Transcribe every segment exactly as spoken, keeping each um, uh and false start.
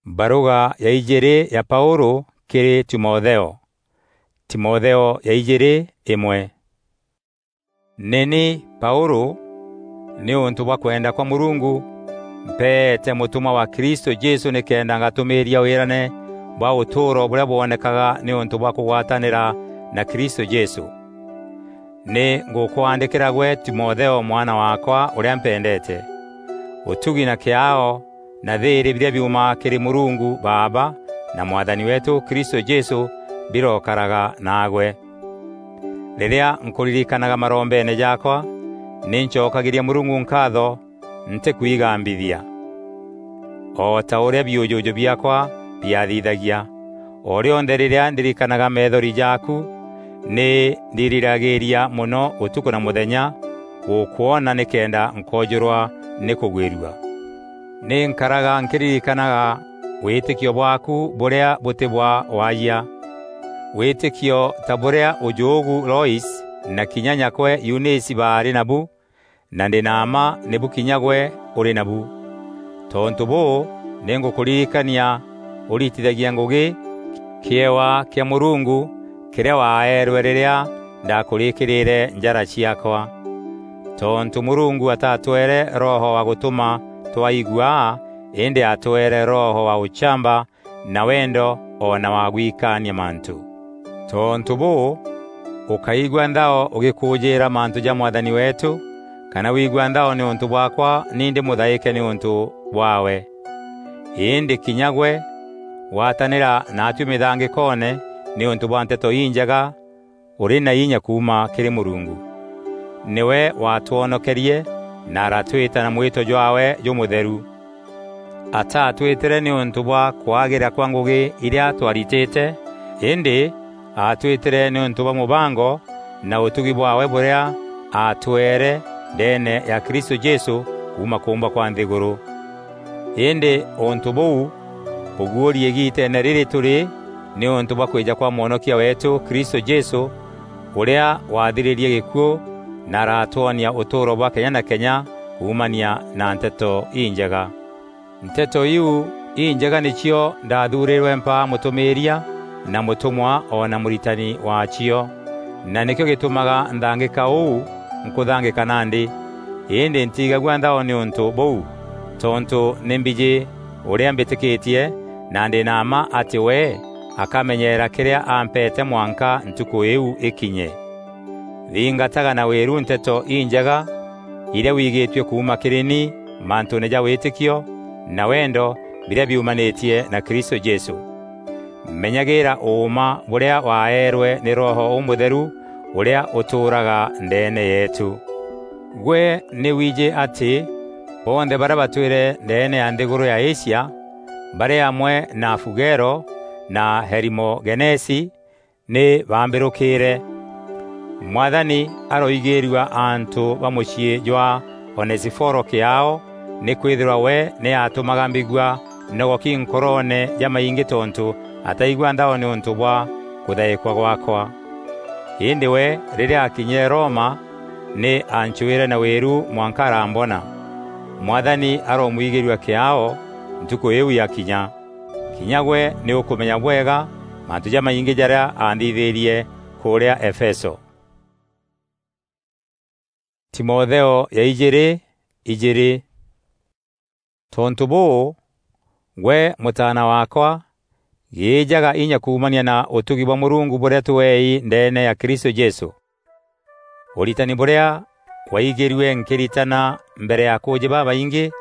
Baruga ya ijiri ya Paulu kiri Timotheo. Timotheo ya ijiri, imwe. Ni ni Paulu, niuntu bwa kwenda kwa Murungu, mpeete mutumwa wa Kristu Jesu nikenda ngatumiiria wirane bwa utuuro buria bwonekaga niuntu bwa kugwatanira na Kristu Jesu. Ni ngukwandikira gwe Timotheo, mwana waakwa uria mpendeete. Utugi na kiaao na thiiri biria biumaga kiri Murungu Baaba na Mwathani weetu Kristu Jesu birokaraga naagwe. Riria nkuririkanaga marombeene jaakwa, ni ncokagiria Murungu nkaatho ntikwigambithia, o ta uria biujuju biaakwa biathithagia. O rionthe riria ndirikanaga meethori jaaku, ni ndiriragiria mono utuku na muthenya gukwona nikenda nkoojurwa ni kugwirua. Ni nkaraga nkiririkanaga witikio bwaaku buria buti bwa waayia, witikio ta buria ujuugu Lois na kinya nyakwe Eunisi baari nabu, na ndi na mma nibu kinya gwe uri nabu. Tontu buu, ni ngukuririkania uritithagia ngugi kiewa kia Murungu kiria waaerwe riria ndakurikirire njara ciaakwa. Tontu Murungu atatwere roho wa gutuma twaigua, indi atwere roho wa uchamba na wendo o na wa gwikaania mantu. Tontu buu, ukaigua nthao ugikuujiira mantu ja Mwathani weetu, kana wigua nthao niuntu bwaakwa ni ndi muthaike niuntu bwaawe. Indi kinya gwe, gwatanira naatui mithangikoone niuntu bwa Nteto Injega, uri na inya kuuma kiri Murungu. Niwe waatwonokerie na aratwita na mwito jwaawe jumutheru. Ataatwitire niuntu bwa kwagira kwa ngugi iria twaritite, indi aatwitire niuntu bwa mubango na utugi bwaawe buria aatweere ndeene ya Kristu Jesu kuuma kuumbwa kwa nthiguru. Indi untu buu buguuri igiiteene riri turi niuntu bwa kwija kwa Mwonokia weetu Kristu Jesu, uria waathiririe gikuu na aratwonia utuuro bwa kenya na kenya kuumania na Nteto Injega. Nteto iu Injega nicio ndathuurirwe mpaa mutumiiria na mutumwa o na muritani waacio, na nikio gitumaga nthangika uu nkuthangika nandi. Indi ntiigagua nthao niuntu buu, tontu ni mbiji uria mbitikitie, na ndi na mma ati we akamenyeera kiria ampeete mwanka ntuku iu ikinye. Thingataga na wiru Nteto Injega iria wigitue kuuma kiri ni mantuune ja witikio na wendo biria biumanitie na Kristu Jesu. Menyagira uuma buria waaerwe ni Roho Umutheru uria utuuraga ndeene yeetu. Gwe ni wiji ati bonthe baria batwire ndeene ya nthiguru ya Asia, bari amwe na Fugelo na Herimogenesi, ni baambirukire. Mwathani aroigirua antu ba mucii jwa Onesiforo kiaao, nikwithirwa we ni aatumaga mbigua nogoki nkoroone jamaingi tontu ataigua nthao niuntu bwa kuthaikwa gwakwa. Indi we, riria akinyire Roma, ni aancwire na wiru mwanka arambona. Mwathani aromwigirua kiaao ntuku iu yakinya. Kinya gwe ni ukumenya bwega mantu jamaingi jaria aanthithirie kuria Efeso. Timotheo ya ijiri, ijiri. Tontu buu, gwe mutaana waakwa, giijaga inya kuumania na utugi bwa Murungu buria tuei ndeene ya Kristu Jesu. Uritani buria waigirue nkiritana mbere ya akuuji babaingi,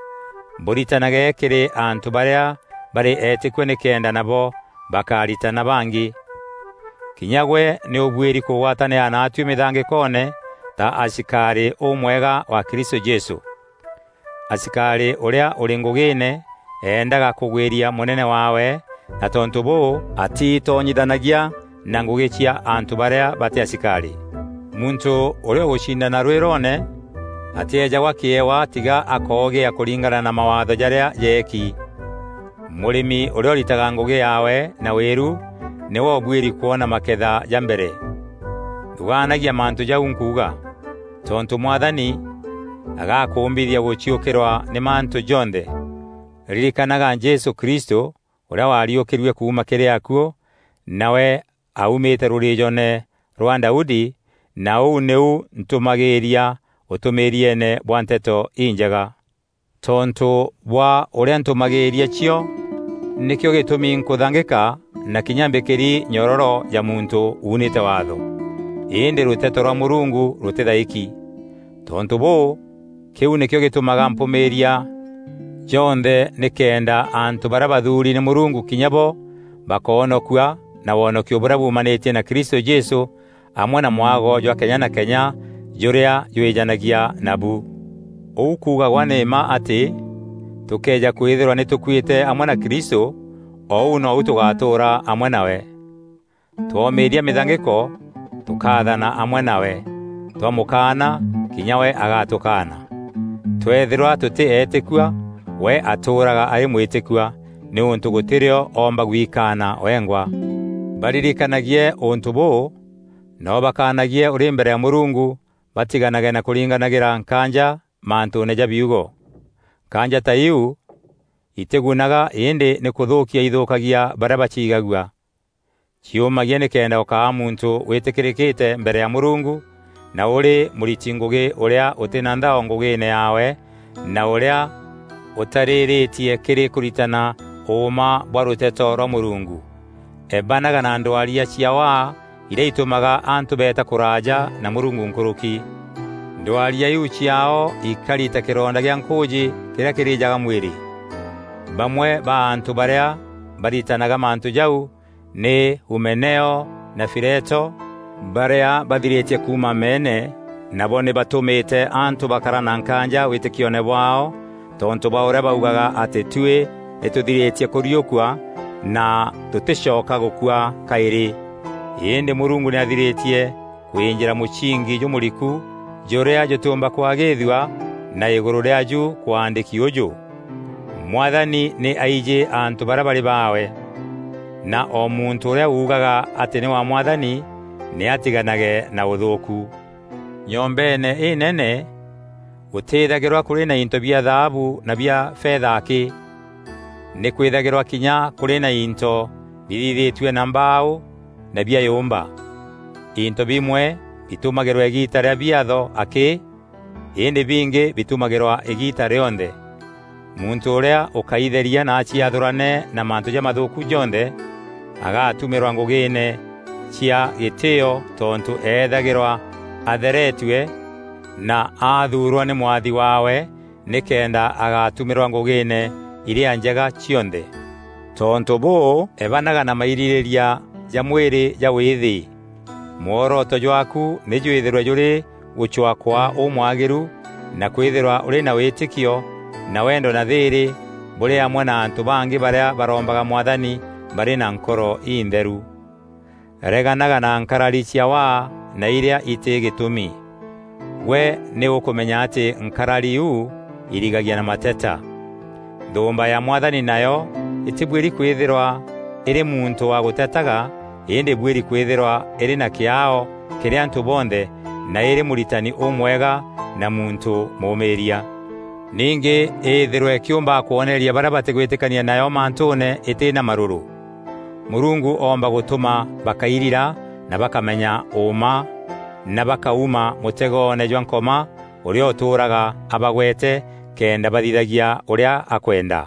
mburitanage kiri antu baria bari eetikua nikenda nabo bakaritana bangi. Kinya gwe ni ubuiri kugwatanira naatui mithangikoone ta asikari umwega wa Kristu Jesu. Asikari uria uri ngugiine eendaga kugwiria munene waawe, na tontu buu atiitonyithanagia na ngugi cia antu baria bati asikari. Muntu uria ugucindana rwiroone atiejagwa kiewa tiga akoogia kuringana na mawaatho jaria jeeki. Murimi uria uritaga ngugi yaawe na wiru niwe ubuiri kwona maketha ja mbere. Thugaanagia mantu jau nkuuga, tontu Mwathani agakuumbithia guciukirwa ni mantu jonthe. Ririkanaga Jesu Kristu, ûrîa waariûkîrue kuuma kîrî akuû, nawe aumîte rûrîîjone rwa Daudi, na ûu nîu ntûmagîîria ûtûmîîrieene bwa Nteto Injega. Tontû bwa ûrîa ntûmagîîria cio, nîkîo gîtûmi nkûthangîka na kinya mbîkîri nyororo ya muntû uunîte waatho. Îndî rûteto rwa Mûrungu rûtîthaîki. Tontû bûû, kîu nîkîo gîtûmaga mpûmîîria jonthe, nîkenda antû barîa bathuuri nî Mûrungu kinya bo bakoonokua na wonokio bûrîa buumanîtie na Kristû Jesû, amwe na mwago jwa kenya na kenya jûrîa jwîjanagia nabu. Ûu kuugagwa nî mma atî tûkëeja kwîthîrwa nî tûkuîte amwe na Kristû, o ûu nou tûgatûûra amwe nawe. Twomîîria mîthangîko, tûkaathana amwe nawe, twamûkaana, kinya we agatûkaana. Tweethîrwa tûtî eetîkua, we atûûraga arî mwîtîkua, nîûntû gûtî rîo oomba gwikaana wengwa. Baririkanagie ûntû bûû, nabo bakaanagie ûrî mbere ya Mûrungu, batiganage na kûringanagîra nkaanja mantûûne ja biugo. Nkaanja ta iu itîgunaga, îndî nî kûthûûkia ithûûkagia barîa baciigagua. Ciûmagia nîkenda ûkaa muntû wîtîkîrîkîte mbere ya Mûrungu, na ûrî mûriti ngûgî ûrîa ûtî na nthao ngûgîîne yaawe, na ûrîa ûtarîrîtie kîrî kûritana ûûma bwa rûteto rwa Mûrungu. Ebanaga na ndwaria cia waa irîa itûmaga antû beeta kûraaja na Mûrungu nkûrûki. Ndwaria iu ciaao ikari ta kîronda gîa nkûûjî kîrîa kîrîjaga mwîrî. Bamwe ba antû barîa baritanaga mantû jau nî Humeneo na Fileto, barîa bathirîtie kuuma meene, nabo nî batûmîte antû bakara na nkaanja wîtîkioone bwaao, tontû bwa ûrîa baugaga atî tuî nî tûthirîtie kûriûkua na tûtîcoka gûkua kaîrî. Îndî Mûrungu nî athirîtie kwînjîra mûcingi jûmûriku jûrîa jûtîûmba kwagîîthua na îgûrû rîaaju kwaandîki ûjû: Mwathani nî aijî antû barîa barî baawe. Na o muntû ûrîa uugaga atî nî wa Mwathani nî atiganage na ûthûûku. Nyombeene înene gûtîîthagîrwa kûrî na into bia thaabu na bia fetha akî. Nî kwîthagîrwa kinya kûrî na into bithithîtue na mbaaû na bia yûmba. Into bimwe bitûmagîrwa îgiita rîa biatho akî, îndî bingî bitûmagîrwa îgiita rîonthe. Muntû ûrîa ûkaitheria na aciathûrane na mantû jamathûûku jonthe, agatumîrwa ngûgîîne cia gîtîîo tontû eethagîrwa atheretue na aathuurwa nî mwathi waawe, nîkenda agatumîrwa ngûgîîne irîa njega cionthe. Tontû bûû, ebanaga na mairîrîîria ja mwîrî ja wîîthî. Mworoto jwaaku nî jwîthîrwe jûrî gûcwaa kwaa ûmwagîru, na kwîthîrwa ûrî na wîtîkio na wendo na thîîrî bûrî amwe na antû bangî barîa barombaga Mwathani barî na nkoro intheru. Reganaga na nkarari cia waa na irîa itî gîtûmi. Gwe nî ûkûmenya atî nkarari iu irigagia na mateta. Nthûûmba ya Mwathani nayo îtîbuîri kwîthîrwa îrî muntû wa gûtetaga, îndî îbuîri kwîthîrwa îrî na kîaao kîrî antû bonthe, na îrî mûritani ûmwega na muntû mûûmîîria. Ningî îîthîrwe kîûmba kwoneria barîa batîgwîtîkania nayo mantûûne îtî na marûrû. Mûrungu oomba gûtûma bakairira na bakamenya ûûma, na bakauma mûtegoone jwa Nkoma ûrîa ûtûûraga abagwete kenda bathithagia ûrîa akwenda.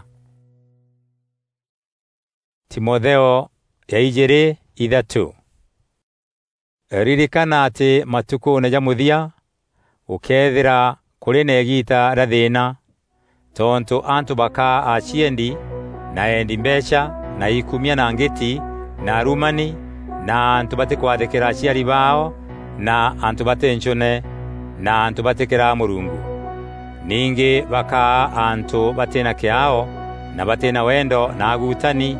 Timotheo ya ijîîrî ithatû. Ririkana atî matukûûne ja mûthia gûkeethîra kûrî na îgiita rîa thîîna, tontû antû bakaa aciendi, na endi mbeecha, na ikumia, na ngîti, na arumani, na antû batîkwathîkîra aciari baao, na antû batî ncûne, na antû batîkîraa Mûrungu. Ningî bakaa antû batî na kîaao, na batî na wendo, na agutani,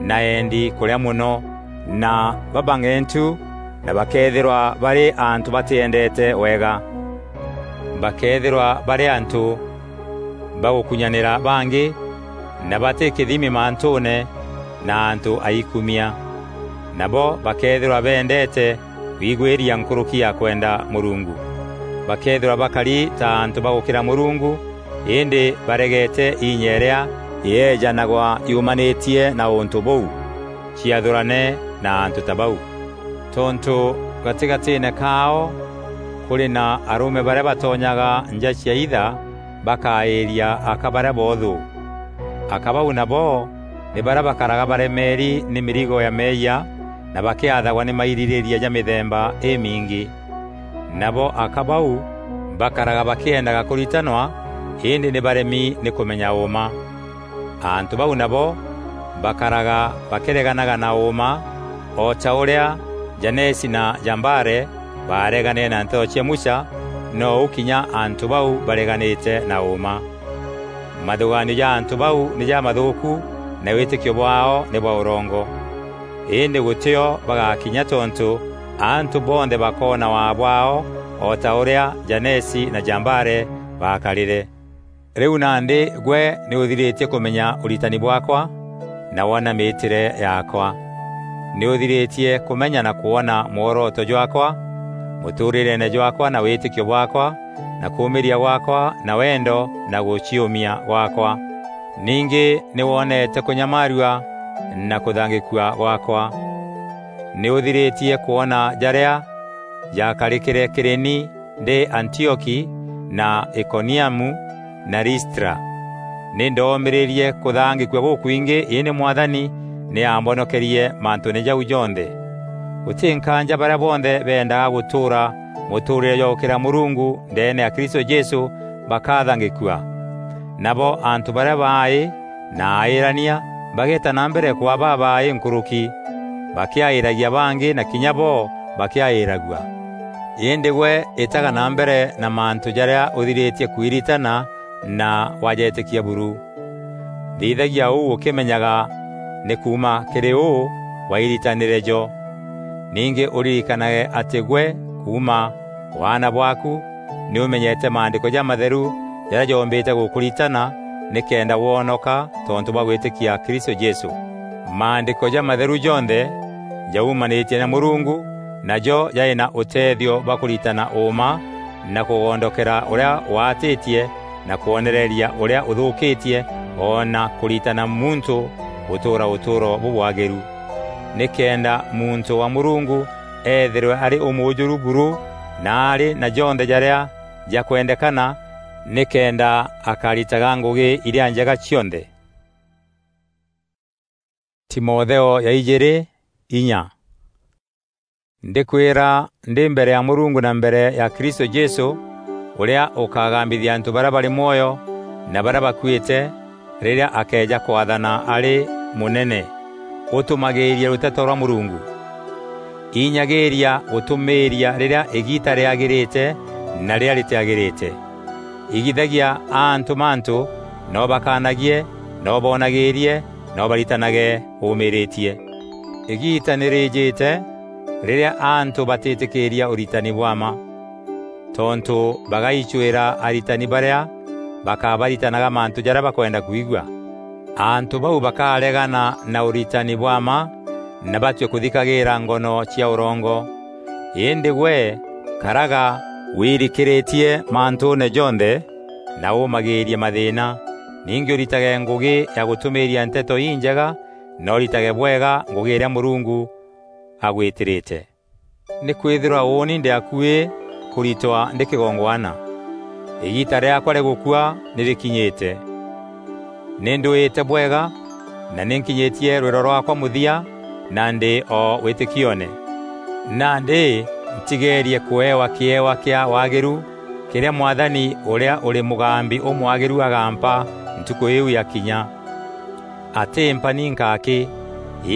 na endi kûrîa mono, na babang'entu, na bakeethîrwa barî antû batîendeete wega. Bakeethîrwa barî antû ba gûkunyanîra bangî, na batî kîthimi mantûûne, na antû aikumia. Nabo bakeethîrwa beendeete kwigwîria nkûrûki ya kwenda Mûrungu. Bakeethîrwa bakari ta antû ba gûkîra Mûrungu, îndî baregete inya îrîa yeejanagwa yumanîtie na ûntû bûu, ciathûrane na antû ta bau. Tontû gatigatiine kaao kûrî na arûme barîa batonyaga nja cia itha bakaîîria aka barîa boothû. Aka bau nabo nî barîa bakaraga baremeeri nî mîrigo ya meeyia na bakîathagwa nî mairîrîîria ja mîthemba îmingî. Nabo aka bau bakaraga bakîendaga kûritanwa, îndî nî baremi nî kûmenya ûûma. Antû bau nabo bakaraga bakîreganaga na ûûma, o ta ûrîa Janesi na Jambare baareganîre na nteto cia Musa, nou kinya antû bau bareganîte na ûûma. Mathûgaanio ja antû bau nî jamathûûku, na wîtîkio bwaao nî bwa ûrongo. Îndî gûtîo bagakinya, tontû antû bonthe bakoona waa bwaao, o ta ûrîa Janesi na Jambare baakarîre. Rîu nandî gwe nî ûthirîtie kûmenya ûritani bwaakwa, na woona mîîtîre yaakwa. Nî ûthirîtie kûmenya na kwona mworoto jwaakwa, mûtûûrîreene jwaakwa na wîtîkio bwaakwa, na kûûmîîria gwaakwa, na wendo na gûciûmia gwaakwa. Ningî nî woneete kûnyamaarua na kûthangîkua gwaakwa. Nî ûthirîtie kwona jarîa jaakarîkîre kîrî ni ndî Antioki na Ikoniamu na Listra. Nî ndoomîrîrie kûthangîkua gûkwingî, îndî Mwathani nî aambonokerie mantûûne jau jonthe. Gûtî nkaanja barîa bonthe beendaga gûtûûra mûtûûrîre jwa gûkîra Mûrungu ndeene ya Kristû Jesû bakathangîkua. Nabo antû barîa baaî na aîrania bageeta na mbere kwaa babaaî nkûrûki, bakîaîragia bangî na kinya bo bakîaîragua. Îndî gwe îtaga na mbere na mantû jarîa ûthirîtie kwiritana na wajetîkia buru. Thithagia ûu ûkîmenyaga nî kuuma kîrî û wairitanîre jo. Ningî ûririkanage atî gwe kuuma waana bwaaku nî ûmenyete Maandîko Jamatheru jarîa joombîte gûkûritana nîkenda woonoka tontû bwa gwîtîkia Kristû Jesû. Maandîko Jamatheru jonthe jaumanîtie na Mûrungu, najo jarî na ûteethio bwa kûritana ûûma na kûgondokera ûrîa waatîtie na kwonereria ûrîa ûthûûkîtie, o na kûritana muntû gûtûûra ûtûûro bûbwagîru. Nîkenda muntû wa Mûrungu eethîrwe arî ûmûûjûru buru na arî na jonthe jarîa jakwendekana, nîkenda akaritaga ngûgî irîa njega cionthe. Timotheo ya ijîîrî, inya. Ndîkwîra ndî mbere ya Mûrungu na mbere ya Kristû Jesû, ûrîa ûkagambithia antû barîa barî mwoyo na barîa bakuîte rîrîa akeeja kwathana arî mûnene, ûtûmagîîrie rûteto rwa Mûrungu. Inyagîîria gûtûmîîria rîrîa îgiita rîagîrîte na rîrîa rîtîagîrîte. Igithagia antû mantû, na ûbakanagie, na ûboonagîîrie, na ûbaritanage ûmîrîtie. Îgiita nî rîîjîte rîrîa antû batîtîkîîria ûritani bwa mma, tontû bagaicwîra aritani barîa bakabaritanaga mantû jarîa bakwenda kwigua. Antû bau bakaregana na ûritani bwa mma na batue kûthikagîîra ngono cia ûrongo. Îndî gwe, karaga wîrikîrîtie mantûûne jonthe, na ûmagîîrie mathîîna. Ningî ûritage ngûgî ya gûtûmîîria Nteto Injega, na ûritage bwega ngûgî îrîa Mûrungu agwîtîrîte. Nîkwîthîrwa ûûni ndî akuî kûritwa ndî kîgongwana. Îgiita rîaakwa rîa gûkua nî rîkinyîte. Nî ndwîte bwega, na nî nkinyîtie rwîro rwaakwa mûthia, na ndî o wîtîkioone. Nandî ntigeerie kûewa kîewa kîa waagîru kîrîa Mwathani ûrîa ûrî mûgambi ûmwagîru agampa ntukû îîu yakinya. Atîmpa ninka akî,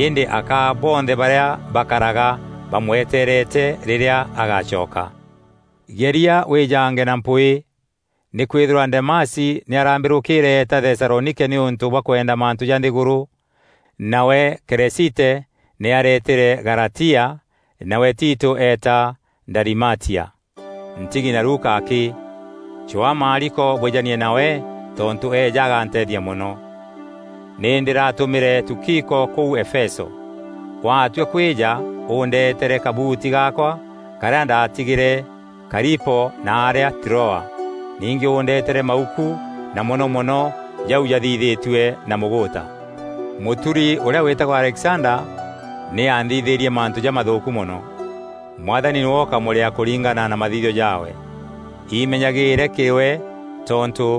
îndî akaa bonthe barîa bakaraga bamweteerete rîrîa agacoka. Geria wîjange na mpwîî, nîkwîthîrwa Demasi nî arambîrûkîîre eeta Thesalonike nîûntû bwa kwenda mantû ja nthîgûrû. Nawe Keresite nî areetîre Galatia, nawe Tito eeta Dalimatia. Ntigi na Luka akî, cwaa Maariko bwijanie nawe, tontû eeja aganteethia mono. Nî ndîratûmîre Tukiko kûu Efeso. Waatua kwîja, ûndeetere kabuuti gaakwa karîa ndaatigîre Karipo na arîa Troa. Ningî ûndeetere mauku, na mono mono jau jathithîtue na mûgûûta. Mûturi ûrîa wîtagwa Alexander nî aanthithîrie mantû jamathûûku mono. Mwathani nîwe ûkamûrîa kûringana na mathithio jaawe. Imenyagîîre kîrî we, tontû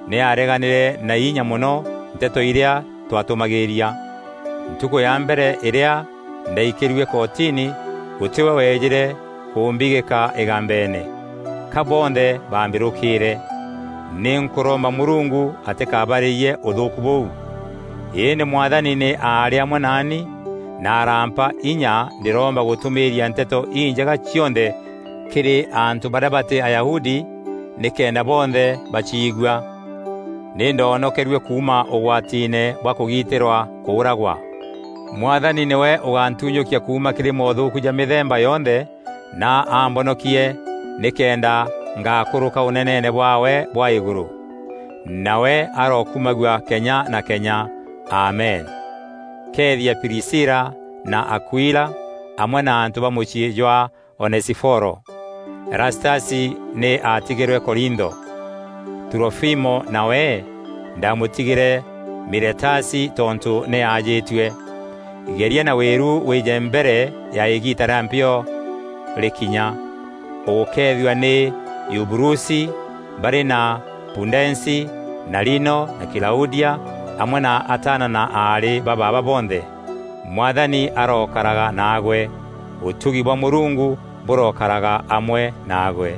nî aareganîre na inya mono nteto irîa twatûmagîîria. Ntukû ya mbere îrîa ndaikîrue kotini, gûtî we weejîre kûmbigîka îgambeene. Ka bonthe baambîrûkîîre. Nî nkûromba Mûrungu atîkabarîrie ûthûûku bûu. Îndî Mwathani nî aarî amwe naani na arampa inya ndîromba gûtûmîîria nteto injega cionthe kîrî antû barîa batî Ayahudi, nîkenda bonthe baciigua. Nî ndoonokerue kuuma ûgwatiine bwa kûgitîrwa kûûragwa. Mwathani nîwe ûgantunyûkia kuuma kîrî mothûûku ja mîthemba yonthe, na ambonokie nîkenda ngakûrûka ûneneene bwaawe bwa îgûrû. Nawe arokumagua kenya na kenya. Amen. Keethia Prisila na Akuila, amwe na antû ba mûciî jwa Onesiforo. Erastasi nî aatigîrwe Korintho. Turofimo nawe ndamûtigîre Miletasi tontû nî aajîtue. Geria na wîru wîje mbere ya îgiita rîa mpio rîkinya. Ûgûkeethua nî Yuburusi, barî na Pudensi, na Lino, na Kilaudia, amwe na ataana na aarî ba baaba bonthe. Mwathani arokaraga naagwe. Ûtugi bwa Mûrungu bûrokaraga amwe naagwe.